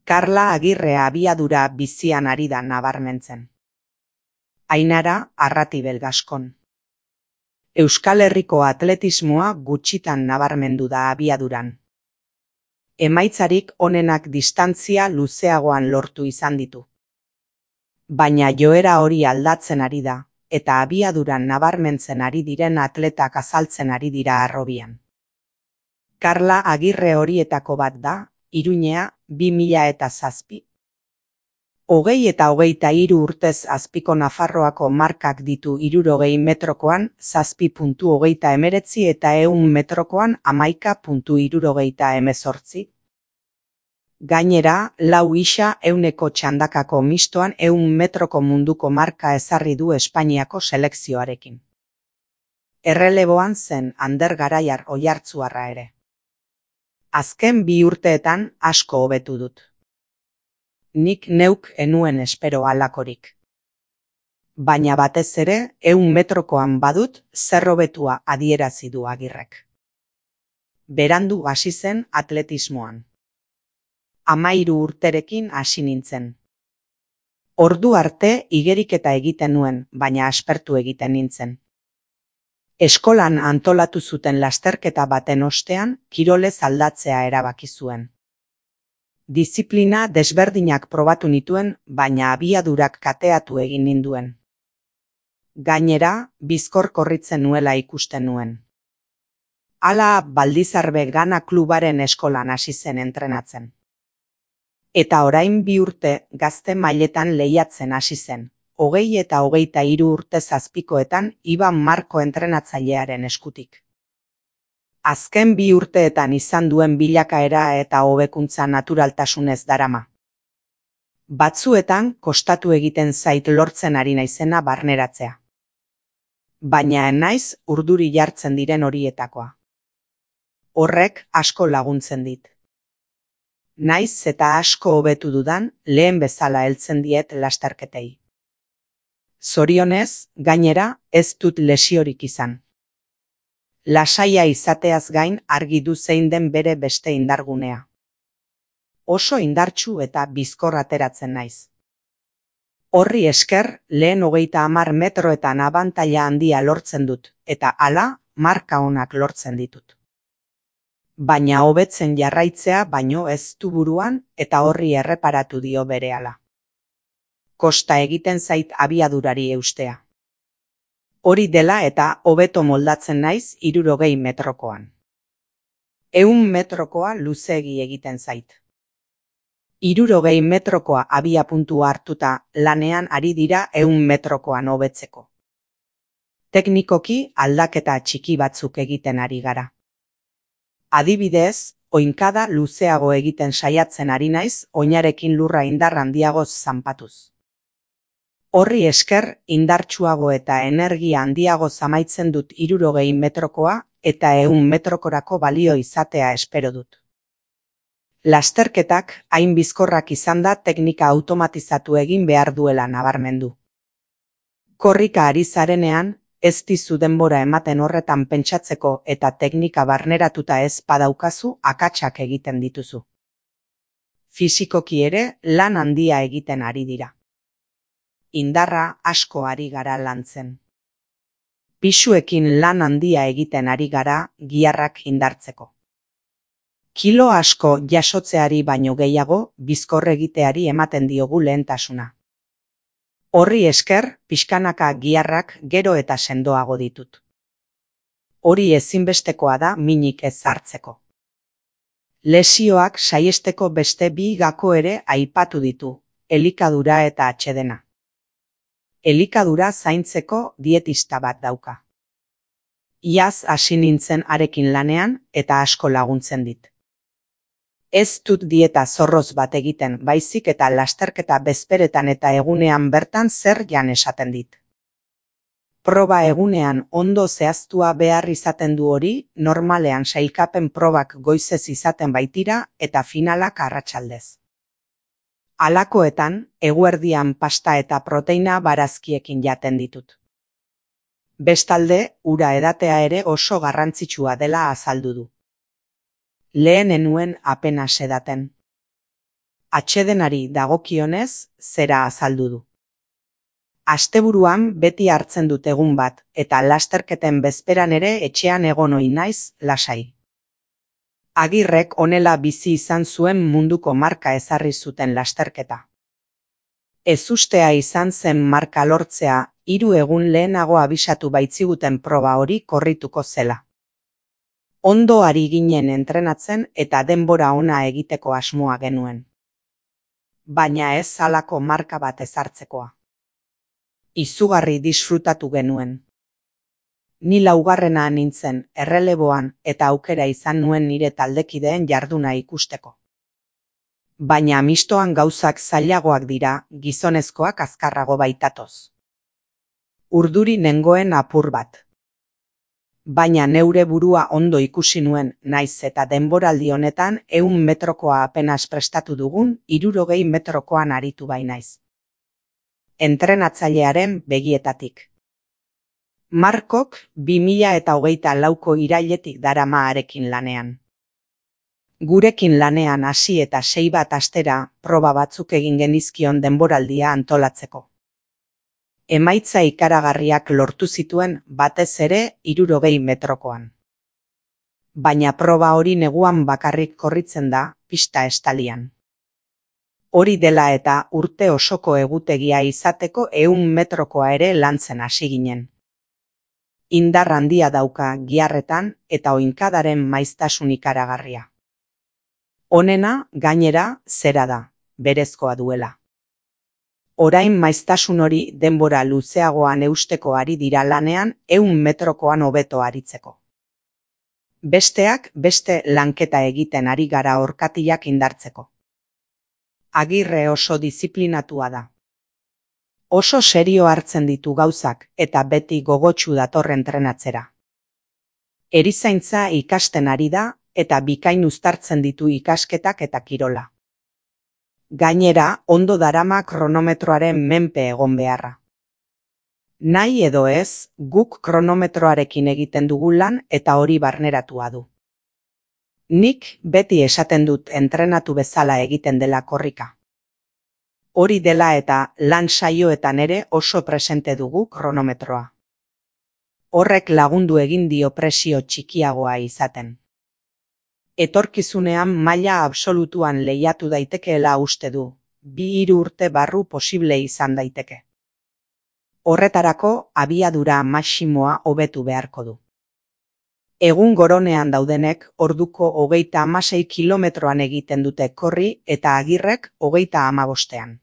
Karla Agirre abiadura bizian ari da nabarmentzen. Ainara Arratibel Gaskon. Euskal Herriko atletismoa gutxitan nabarmendu da abiaduran. Emaitzarik onenak distantzia luzeagoan lortu izan ditu. Baina joera hori aldatzen ari da, eta abiaduran nabarmentzen ari diren atletak azaltzen ari dira harrobian. Karla Agirre horietako bat da, Iruñea 2007. 20 eta 23 urtez azpiko Nafarroako markak ditu 60 metrokoan 7.29 eta 100 metrokoan 11.78. Gainera, lau isa 100 txandakako mistoan 100 metroko munduko marka ezarri du Espainiako selekzioarekin. Erreleboan zen Ander Garaiar Oiartzuarra ere. Azken 2 urteetan asko hobetu dut. Nik neuk enuen espero halakorik. Baina batez ere, 100 metrokoan badut zer hobetua adierazi du Agirrek. Berandu hasi zen atletismoan. 13 urterekin hasi nintzen. Ordu arte igeriketa egiten nuen, baina aspertu egiten nintzen. Eskolan antolatu zuten lasterketa baten ostean, kirolez aldatzea erabaki zuen. Diziplina desberdinak probatu nituen, baina abiadurak kateatu egin ninduen. Gainera, bizkor korritzen nuela ikusten nuen. Hala Baldizarbe Gana klubaren eskolan hasi zen entrenatzen. Eta orain 2 urte gazte mailetan lehiatzen hasi zen, 20 eta 23 urte zazpikoetan Iban Marko entrenatzailearen eskutik. Azken 2 urteetan izan duen bilakaera eta hobekuntza naturaltasunez darama. Batzuetan kostatu egiten zait lortzen ari naizena barneratzea. Baina naiz urduri jartzen diren horietakoa. Horrek asko laguntzen dit. Naiz eta asko hobetu dudan, lehen bezala heltzen diet lasterketei. Zorionez, gainera, ez dut lesiorik izan. Lasaia izateaz gain argi du zein den bere beste indargunea. Oso indartsu eta bizkor ateratzen naiz. Horri esker, lehen 30 metroetan abantaila handia lortzen dut, eta hala, marka onak lortzen ditut. Baina hobetzen jarraitzea baino ez du buruan eta horri erreparatu dio berehala. Kosta egiten zait abiadurari eustea. Hori dela eta hobeto moldatzen naiz 60 metrokoan. 100 metrokoa luzeegi egiten zait. 60 metrokoa abiapuntua hartuta lanean ari dira 100 metrokoan hobetzeko. Teknikoki aldaketa txiki batzuk egiten ari gara. Adibidez, oinkada luzeago egiten saiatzen ari naiz oinarekin lurra indar handiagoz zanpatuz. Horri esker indartsuago eta energia handiago amaitzen dut 60 metrokoa eta 100 metrokorako balio izatea espero dut. Lasterketak hain bizkorrak izan da teknika automatizatu egin behar duela nabarmendu. Korrika ari zarenean, ez dizu denbora ematen horretan pentsatzeko eta teknika barneratuta ez badaukazu akatsak egiten dituzu. Fisikoki ere lan handia egiten ari dira. Indarra asko ari gara lantzen. Pisuekin lan handia egiten ari gara giharrak indartzeko. Kilo asko jasotzeari baino gehiago bizkor egiteari ematen diogu lehentasuna. Horri esker, pixkanaka giharrak gero eta sendoago ditut. Hori ezinbestekoa da minik ez hartzeko. Lesioak saiesteko beste 2 gako ere aipatu ditu, elikadura eta atsedena. Elikadura zaintzeko dietista bat dauka. Iaz hasi nintzen harekin lanean eta asko laguntzen dit. Ez dut dieta zorroz bat egiten, baizik eta lasterketa bezperetan eta egunean bertan zer jan esaten dit. Proba egunean ondo zehaztua behar izaten du hori, normalean sailkapen probak goizez izaten baitira eta finalak arratsaldez. Halakoetan, eguerdian pasta eta proteina barazkiekin jaten ditut. Bestalde, ura edatea ere oso garrantzitsua dela azaldu du. Lehen enuen apenas edaten. Atsedenari dagokionez, zera azaldu du. Asteburuan beti hartzen dut egun bat, eta lasterketen bezperan ere etxean egon ohi naiz lasai. Agirrek honela bizi izan zuen munduko marka ezarri zuten lasterketa. Ezustea izan zen marka lortzea, 3 egun lehenago abisatu baitziguten proba hori korrituko zela. Ondo ari ginen entrenatzen eta denbora ona egiteko asmoa genuen. Baina ez halako marka bat ezartzekoa. Izugarri disfrutatu genuen. Ni 4. nintzen, erreleboan, eta aukera izan nuen nire taldekideen jarduna ikusteko. Baina mistoan gauzak zailagoak dira, gizonezkoak azkarrago baitatoz. Urduri nengoen apur bat. Baina neure burua ondo ikusi nuen, naiz eta denboraldi honetan 100 metrokoa apenas prestatu dugun, 60 metrokoan aritu bainaiz. Entrenatzailearen begietatik. Markok 2024ko irailetik darama harekin lanean. Gurekin lanean hasi eta 6 bat astera proba batzuk egin genizkion denboraldia antolatzeko. Emaitza ikaragarriak lortu zituen batez ere 60 metrokoan. Baina proba hori neguan bakarrik korritzen da, pista estalian. Hori dela eta urte osoko egutegia izateko 100 metrokoa ere lantzen hasi ginen. Indar handia dauka giharretan eta oinkadaren maiztasun ikaragarria. Honena, gainera, zera da, berezkoa duela. Orain maiztasun hori denbora luzeagoan eusteko ari dira lanean 100 metrokoan hobeto aritzeko. Besteak beste lanketa egiten ari gara orkatiak indartzeko. Agirre oso diziplinatua da. Oso serio hartzen ditu gauzak eta beti gogotsu dator entrenatzera. Erizaintza ikasten ari da eta bikain uztartzen ditu ikasketak eta kirola. Gainera, ondo darama kronometroaren menpe egon beharra. Nahi edo ez, guk kronometroarekin egiten dugu lan eta hori barneratua du. Nik beti esaten dut entrenatu bezala egiten dela korrika. Hori dela eta lan saioetan ere oso presente dugu kronometroa. Horrek lagundu egin dio presio txikiagoa izaten. Etorkizunean maila absolutuan lehiatu daitekeela uste du, 2-3 urte barru posible izan daiteke. Horretarako abiadura maximoa hobetu beharko du. Egun goronean daudenek orduko 36 kilometroan egiten dute korri eta Agirrek 35ean.